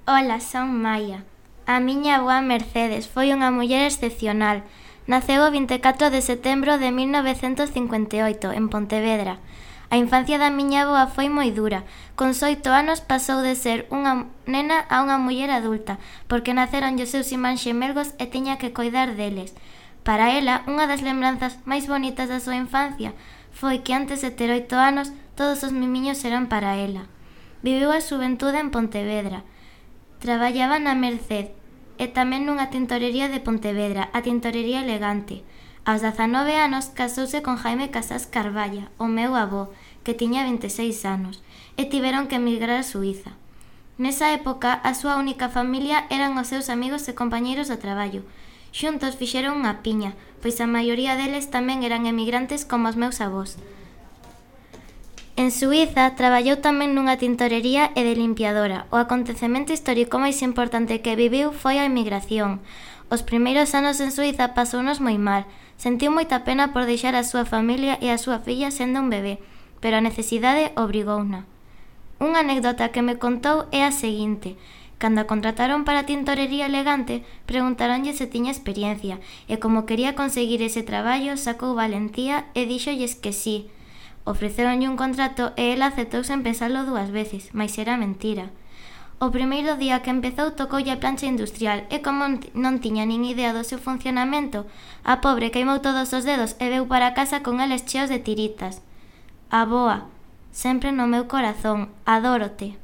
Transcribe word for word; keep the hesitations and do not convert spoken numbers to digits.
Ola, son Maia. A miña avoa Mercedes foi unha muller excepcional. Naceu o vinte e catro de setembro de mil novecentos cincuenta e oito, en Pontevedra. A infancia da miña avoa foi moi dura. Con oito anos pasou de ser unha nena a unha muller adulta, porque naceron os seus irmáns xemelgos e tiña que coidar deles. Para ela, unha das lembranzas máis bonitas da súa infancia foi que antes de ter oito anos, todos os mimiños eran para ela. Viviu a xuventude en Pontevedra. Traballaba na Merced e tamén nunha tintorería de Pontevedra, a Tintorería Elegante. Aos dezanove anos casouse con Jaime Casás Carballa, o meu avó, que tiña vinte e seis anos, e tiveron que emigrar a Suíza. Nesa época, a súa única familia eran os seus amigos e compañeiros do traballo. Xuntos fixeron unha piña, pois a maioría deles tamén eran emigrantes como os meus avós. En Suíza traballou tamén nunha tintorería e de limpiadora. O acontecemento histórico máis importante que viviu foi a emigración. Os primeiros anos en Suíza pasounos moi mal. Sentiu moita pena por deixar a súa familia e a súa filla sendo un bebé, pero a necesidade obrigouna. Unha anécdota que me contou é a seguinte. Cando a contrataron para a Tintorería Elegante, preguntaronlle se tiña experiencia, e como quería conseguir ese traballo, sacou valentía e díxolles que sí. Ofreceronlle un contrato e ela aceptou sen pensalo dúas veces, mais era mentira. O primeiro día que empezou tocoulle a plancha industrial e como non tiña nin idea do seu funcionamento, a pobre queimou todos os dedos e veu para casa con eles cheos de tiritas. Avoa, sempre no meu corazón, adórote.